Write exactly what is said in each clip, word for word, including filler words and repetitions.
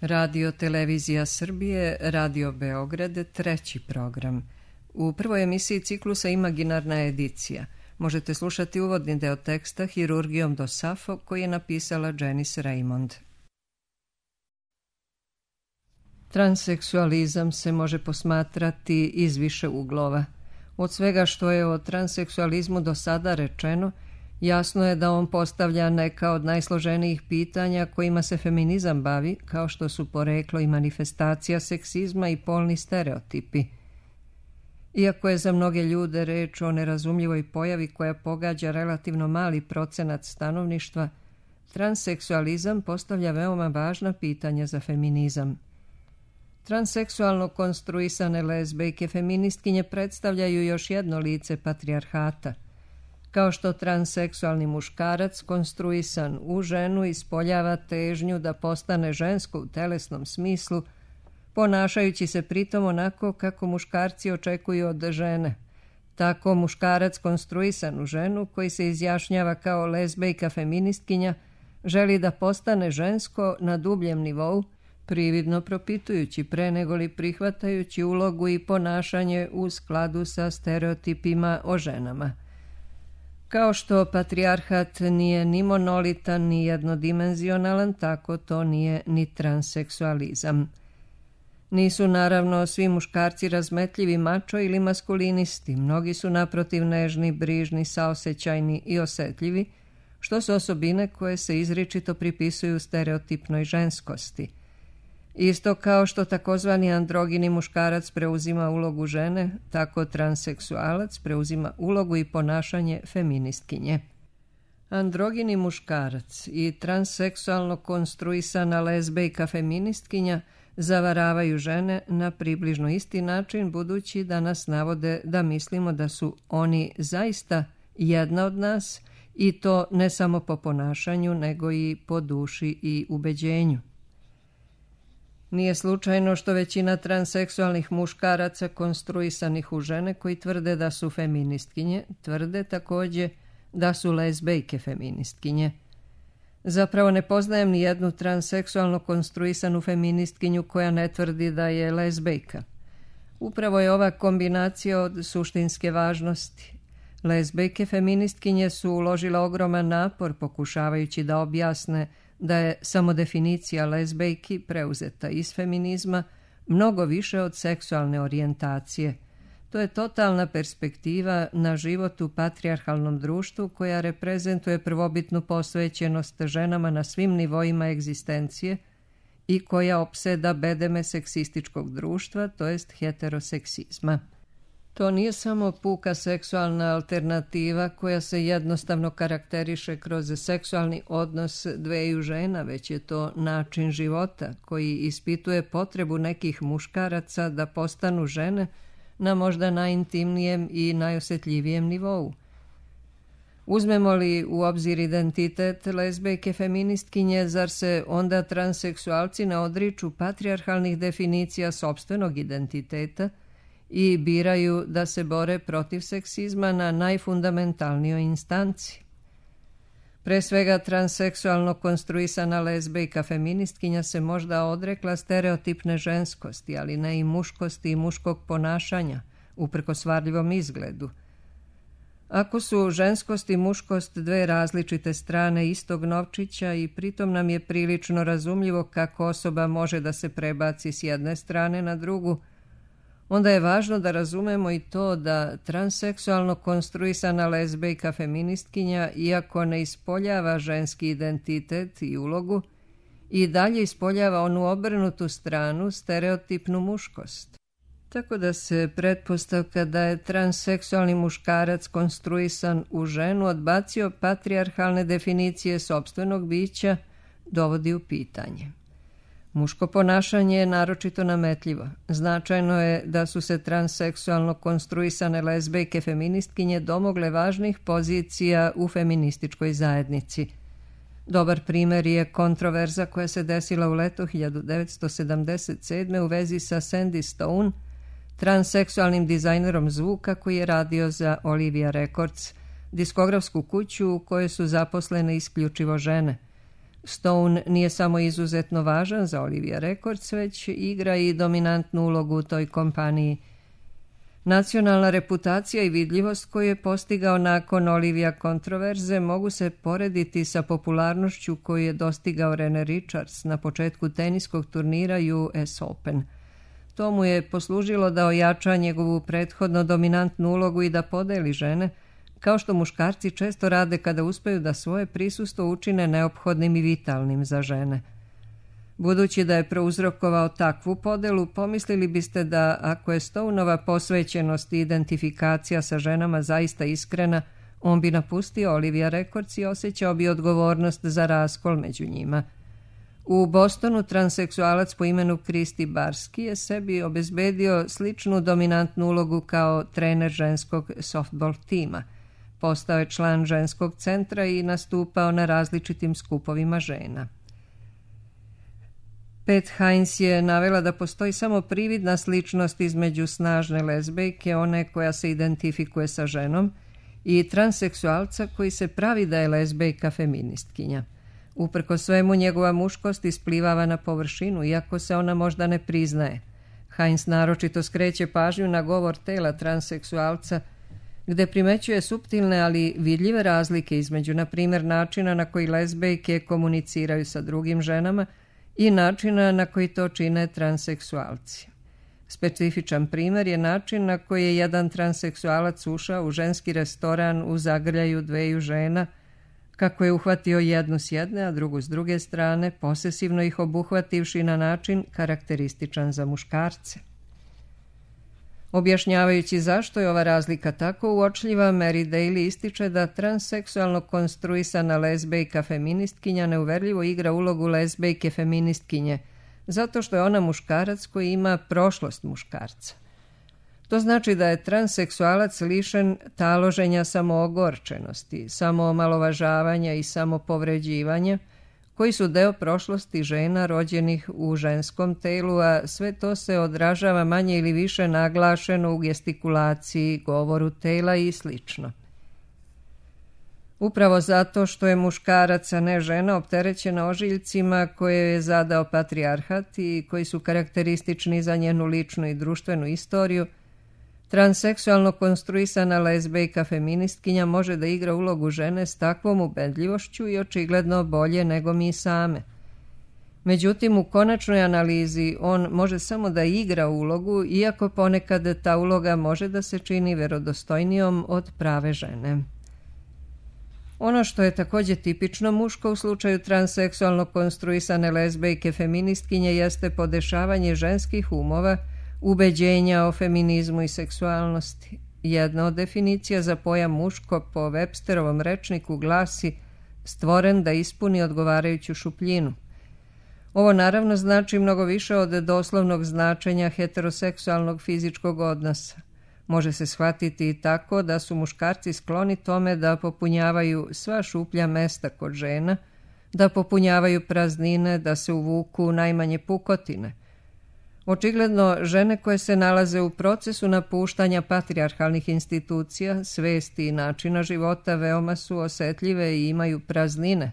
Radio Televizija Srbije, Radio Beograd, treći program. U prvoj emisiji ciklusa Imaginarna edicija. Možete slušati uvodni deo teksta Hirurgijom do Safo koji je napisala Janice Raymond. Transseksualizam se može posmatrati iz više uglova. Od svega što je o transseksualizmu do sada rečeno, jasno je da on postavlja neka od najsloženijih pitanja kojima se feminizam bavi, kao što su poreklo i manifestacija seksizma i polni stereotipi. Iako je za mnoge ljude reč o nerazumljivoj pojavi koja pogađa relativno mali procenat stanovništva, transseksualizam postavlja veoma važna pitanja za feminizam. Transseksualno konstruisane lezbejke feministkinje predstavljaju još jedno lice patrijarhata. Kao što transseksualni muškarac konstruisan u ženu ispoljava težnju da postane žensko u telesnom smislu, ponašajući se pritom onako kako muškarci očekuju od žene. Tako muškarac konstruisan u ženu, koji se izjašnjava kao lezbejka feministkinja, želi da postane žensko na dubljem nivou, prividno propitujući pre nego li prihvatajući ulogu i ponašanje u skladu sa stereotipima o ženama. Kao što patrijarhat nije ni monolitan ni jednodimenzionalan, tako to nije ni transseksualizam. Nisu naravno svi muškarci razmetljivi mačo ili maskulinisti, mnogi su naprotiv nežni, brižni, saosećajni i osetljivi, što su osobine koje se izričito pripisuju stereotipnoj ženskosti. Isto kao što takozvani androgini muškarac preuzima ulogu žene, tako transseksualac preuzima ulogu i ponašanje feministkinje. Androgini muškarac i transseksualno konstruisana lezbejka feministkinja zavaravaju žene na približno isti način, budući da nas navode da mislimo da su oni zaista jedna od nas, i to ne samo po ponašanju, nego i po duši i ubeđenju. Nije slučajno što većina transseksualnih muškaraca konstruisanih u žene koji tvrde da su feministkinje, tvrde također da su lezbejke feministkinje. Zapravo ne poznajem ni jednu transseksualno konstruisanu feministkinju koja ne tvrdi da je lezbejka. Upravo je ova kombinacija od suštinske važnosti. Lezbejke feministkinje su uložile ogroman napor pokušavajući da objasne da je samo definicija lezbejki preuzeta iz feminizma mnogo više od seksualne orijentacije. To je totalna perspektiva na život u patrijarhalnom društvu koja reprezentuje prvobitnu posvećenost ženama na svim nivoima egzistencije i koja opseda bedeme seksističkog društva, to jest heteroseksizma. To nije samo puka seksualna alternativa koja se jednostavno karakteriše kroz seksualni odnos dveju žena, već je to način života koji ispituje potrebu nekih muškaraca da postanu žene na možda najintimnijem i najosjetljivijem nivou. Uzmemo li u obzir identitet lezbejke feministkinje, zar se onda transseksualci ne odriču patrijarhalnih definicija sopstvenog identiteta i biraju da se bore protiv seksizma na najfundamentalnijoj instanci? Pre svega, transseksualno konstruisana lezbejka feministkinja se možda odrekla stereotipne ženskosti, ali ne i muškosti i muškog ponašanja, uprkos varljivom izgledu. Ako su ženskost i muškost dve različite strane istog novčića i pritom nam je prilično razumljivo kako osoba može da se prebaci s jedne strane na drugu, onda je važno da razumemo i to da transseksualno konstruisana lezbejka feministkinja, iako ne ispoljava ženski identitet i ulogu, i dalje ispoljava onu obrnutu stranu, stereotipnu muškost. Tako da se pretpostavka da je transseksualni muškarac konstruisan u ženu odbacio patrijarhalne definicije sopstvenog bića dovodi u pitanje. Muško ponašanje je naročito nametljivo. Značajno je da su se transseksualno konstruisane lezbejke feministkinje domogle važnih pozicija u feminističkoj zajednici. Dobar primer je kontroverza koja se desila u leto hiljadu devetsto sedamdeset sedme. u vezi sa Sandy Stone, transseksualnim dizajnerom zvuka koji je radio za Olivia Records, diskografsku kuću u kojoj su zaposlene isključivo žene. Stone nije samo izuzetno važan za Olivia Records, već igra i dominantnu ulogu u toj kompaniji. Nacionalna reputacija i vidljivost koju je postigao nakon Olivia kontroverze mogu se porediti sa popularnošću koju je dostigao Rene Richards na početku teniskog turnira U S Open. To mu je poslužilo da ojača njegovu prethodno dominantnu ulogu i da podeli žene, kao što muškarci često rade kada uspeju da svoje prisustvo učine neophodnim i vitalnim za žene. Budući da je prouzrokovao takvu podelu, pomislili biste da ako je Stoneova posvećenost i identifikacija sa ženama zaista iskrena, on bi napustio Olivia Records i osjećao bi odgovornost za raskol među njima. U Bostonu transseksualac po imenu Kristi Barski je sebi obezbedio sličnu dominantnu ulogu kao trener ženskog softball tima. Postao je član ženskog centra i nastupao na različitim skupovima žena. Pat Hines je navela da postoji samo prividna sličnost između snažne lezbejke, one koja se identifikuje sa ženom, i transseksualca koji se pravi da je lezbejka feministkinja. Uprko svemu, njegova muškost isplivava na površinu, iako se ona možda ne priznaje. Hines naročito skreće pažnju na govor tela transseksualca, gde primećuje suptilne ali vidljive razlike između, na primjer, načina na koji lezbejke komuniciraju sa drugim ženama i načina na koji to čine transseksualci. Specifičan primjer je način na koji je jedan transseksualac ušao u ženski restoran u zagrljaju dveju žena, kako je uhvatio jednu s jedne, a drugu s druge strane, posesivno ih obuhvativši na način karakterističan za muškarce. Objašnjavajući zašto je ova razlika tako uočljiva, Mary Daly ističe da transseksualno konstruisana lezbejka feministkinja neuverljivo igra ulogu lezbejke feministkinje, zato što je ona muškarac koji ima prošlost muškarca. To znači da je transseksualac lišen taloženja samoogorčenosti, samoomalovažavanja i samopovređivanja, koji su deo prošlosti žena rođenih u ženskom telu, a sve to se odražava manje ili više naglašeno u gestikulaciji, govoru tela i sl. Upravo zato što je muškarac, a ne žena, opterećena ožiljcima koje je zadao patrijarhat i koji su karakteristični za njenu ličnu i društvenu istoriju, transseksualno konstruisana lezbejka feministkinja može da igra ulogu žene s takvom ubedljivošću i očigledno bolje nego mi same. Međutim, u konačnoj analizi on može samo da igra ulogu, iako ponekad ta uloga može da se čini verodostojnijom od prave žene. Ono što je također tipično muško u slučaju transseksualno konstruisane lezbejke feministkinje jeste podešavanje ženskih umova, ubeđenja o feminizmu i seksualnosti. Jedna od definicija za pojam muško po Websterovom rečniku glasi stvoren da ispuni odgovarajuću šupljinu. Ovo naravno znači mnogo više od doslovnog značenja heteroseksualnog fizičkog odnosa. Može se shvatiti i tako da su muškarci skloni tome da popunjavaju sva šuplja mesta kod žena, da popunjavaju praznine, da se uvuku u najmanje pukotine. Očigledno, žene koje se nalaze u procesu napuštanja patrijarhalnih institucija, svesti i načina života veoma su osetljive i imaju praznine.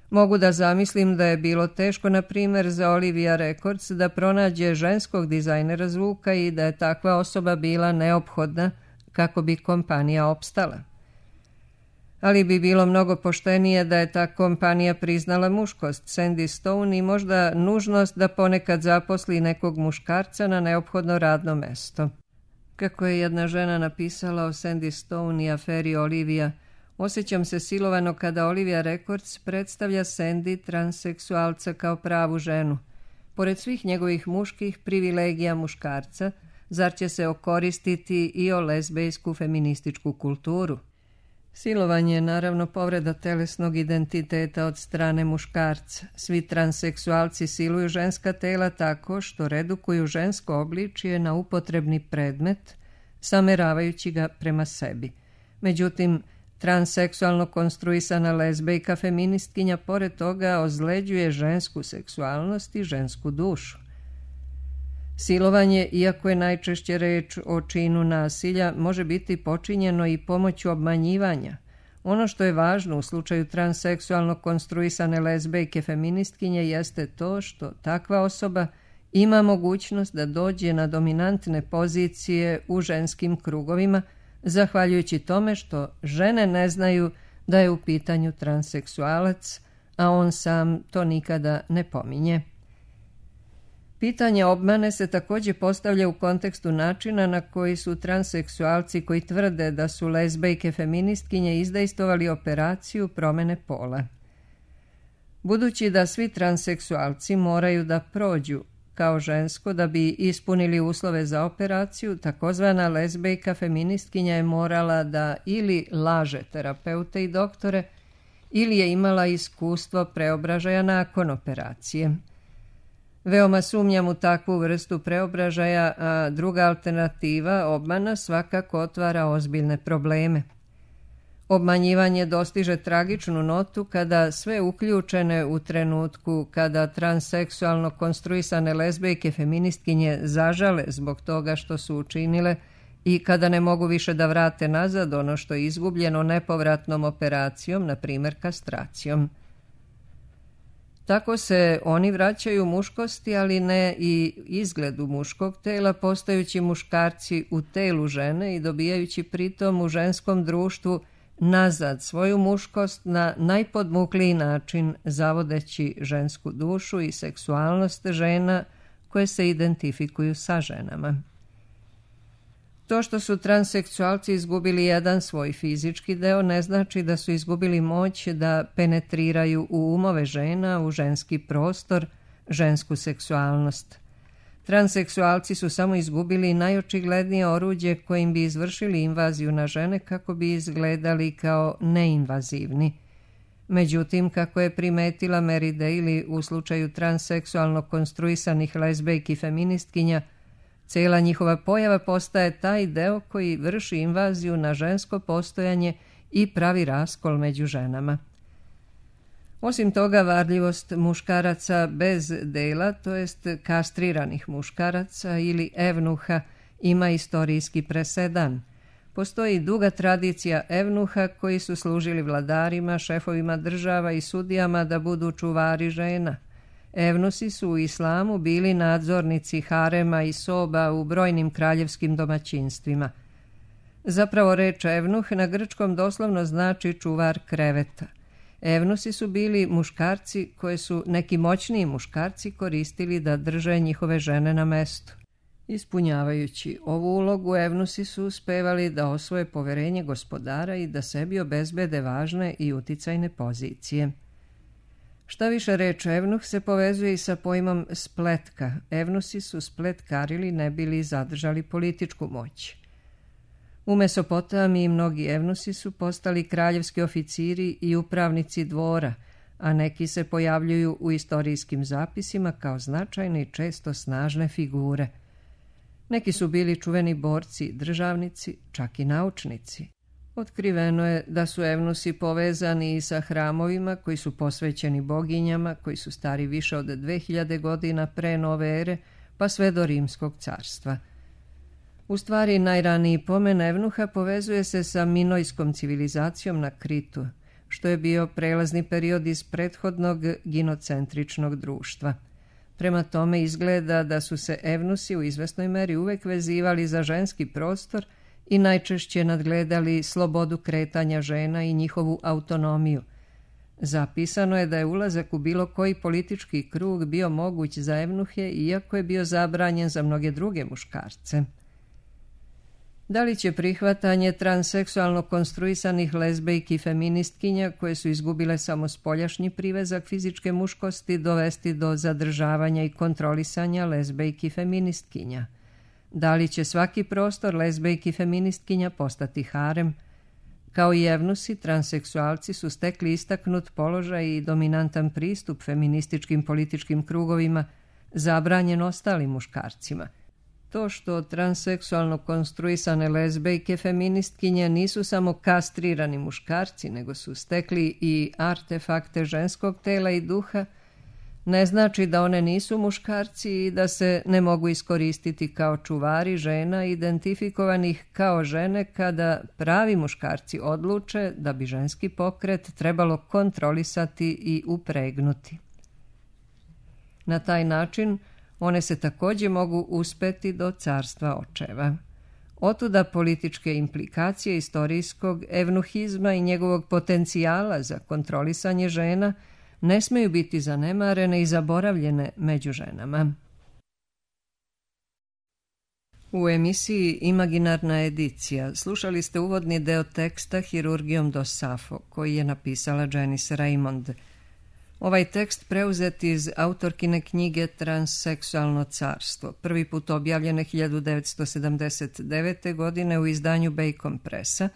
Mogu da zamislim da je bilo teško, na primjer, za Olivia Records da pronađe ženskog dizajnera zvuka i da je takva osoba bila neophodna kako bi kompanija opstala. Ali bi bilo mnogo poštenije da je ta kompanija priznala muškost Sandy Stone i možda nužnost da ponekad zaposli nekog muškarca na neophodno radno mesto. Kako je jedna žena napisala o Sandy Stone i aferi Olivia, osjećam se silovano kada Olivia Records predstavlja Sandy transseksualca kao pravu ženu. Pored svih njegovih muških privilegija muškarca, zar će se okoristiti i o lezbejsku feminističku kulturu? Silovanje je naravno povreda telesnog identiteta od strane muškarca. Svi transseksualci siluju ženska tela tako što redukuju žensko obličje na upotrebni predmet, sameravajući ga prema sebi. Međutim, transseksualno konstruisana lezbejka feministkinja pored toga ozleđuje žensku seksualnost i žensku dušu. Silovanje, iako je najčešće reč o činu nasilja, može biti počinjeno i pomoću obmanjivanja, Ono što je važno u slučaju transseksualno konstruisane lezbejke feministkinje jeste to što takva osoba ima mogućnost da dođe na dominantne pozicije u ženskim krugovima, zahvaljujući tome što žene ne znaju da je u pitanju transseksualac, a on sam to nikada ne pominje. Pitanje obmane se također postavlja u kontekstu načina na koji su transseksualci koji tvrde da su lezbejke feministkinje izdejstvovali operaciju promjene pola. Budući da svi transseksualci moraju da prođu kao žensko da bi ispunili uslove za operaciju, takozvana lezbejka feministkinja je morala da ili laže terapeute i doktore ili je imala iskustvo preobražaja nakon operacije. Veoma sumnjam u takvu vrstu preobražaja, a druga alternativa, obmana, svakako otvara ozbiljne probleme. Obmanjivanje dostiže tragičnu notu kada sve uključene u trenutku kada transseksualno konstruisane lezbejke feministkinje zažale zbog toga što su učinile i kada ne mogu više da vrate nazad ono što je izgubljeno nepovratnom operacijom, na primjer kastracijom. Tako se oni vraćaju muškosti, ali ne i izgledu muškog tela, postajući muškarci u telu žene i dobijajući pritom u ženskom društvu nazad svoju muškost na najpodmukliji način, zavodeći žensku dušu i seksualnost žena koje se identifikuju sa ženama. To što su transseksualci izgubili jedan svoj fizički deo ne znači da su izgubili moć da penetriraju u umove žena, u ženski prostor, žensku seksualnost. Transseksualci su samo izgubili najočiglednije oruđe kojim bi izvršili invaziju na žene kako bi izgledali kao neinvazivni. Međutim, kako je primetila Mary Daly u slučaju transseksualno konstruisanih lezbejki feministkinja, cijela njihova pojava postaje taj deo koji vrši invaziju na žensko postojanje i pravi raskol među ženama. Osim toga, varljivost muškaraca bez dela, to jest kastriranih muškaraca ili evnuha, ima istorijski presedan. Postoji duga tradicija evnuha koji su služili vladarima, šefovima država i sudijama da budu čuvari žena. Evnusi su u islamu bili nadzornici harema i soba u brojnim kraljevskim domaćinstvima. Zapravo reč evnuh na grčkom doslovno znači čuvar kreveta. Evnusi su bili muškarci koje su neki moćniji muškarci koristili da drže njihove žene na mestu. Ispunjavajući ovu ulogu, evnusi su uspevali da osvoje poverenje gospodara i da sebi obezbede važne i uticajne pozicije. Šta više, reč evnuh se povezuje i sa pojmom spletka. Evnusi su spletkarili ne bili zadržali političku moć. U Mesopotamiji mnogi evnusi su postali kraljevski oficiri i upravnici dvora, a neki se pojavljuju u istorijskim zapisima kao značajne i često snažne figure. Neki su bili čuveni borci, državnici, čak i naučnici. Otkriveno je da su evnusi povezani i sa hramovima koji su posvećeni boginjama, koji su stari više od dve hiljade godina pre nove ere, pa sve do Rimskog carstva. U stvari, najraniji pomen evnuha povezuje se sa minojskom civilizacijom na Kritu, što je bio prelazni period iz prethodnog ginocentričnog društva. Prema tome izgleda da su se evnusi u izvesnoj meri uvek vezivali za ženski prostor i najčešće nadgledali slobodu kretanja žena i njihovu autonomiju. Zapisano je da je ulazak u bilo koji politički krug bio moguć za evnuhe, iako je bio zabranjen za mnoge druge muškarce. Da li će prihvatanje transseksualno konstruisanih lezbejki feministkinja, koje su izgubile samo spoljašnji privezak fizičke muškosti, dovesti do zadržavanja i kontrolisanja lezbejki feministkinja? Da li će svaki prostor lezbejki feministkinja postati harem? Kao i evnusi, transseksualci su stekli istaknut položaj i dominantan pristup feminističkim političkim krugovima, zabranjen ostalim muškarcima. To što transseksualno konstruisane lezbejke feministkinje nisu samo kastrirani muškarci, nego su stekli i artefakte ženskog tela i duha, Ne znači da one nisu muškarci i da se ne mogu iskoristiti kao čuvari žena identifikovanih kao žene kada pravi muškarci odluče da bi ženski pokret trebalo kontrolisati i upregnuti. Na taj način one se također mogu uspeti do carstva očeva. Otuda političke implikacije istorijskog evnuhizma i njegovog potencijala za kontrolisanje žena ne smeju biti zanemarene i zaboravljene među ženama. U emisiji Imaginarna edicija slušali ste uvodni deo teksta Hirurgijom do Safo, koji je napisala Janice Raymond. Ovaj tekst preuzet iz autorkine knjige Transseksualno carstvo, prvi put objavljene hiljadu devetsto sedamdeset devete. godine u izdanju Bacon Pressa,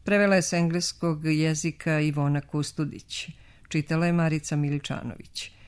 prevela je s engleskog jezika Ivona Kustudić. Čitala je Marica Miličanović.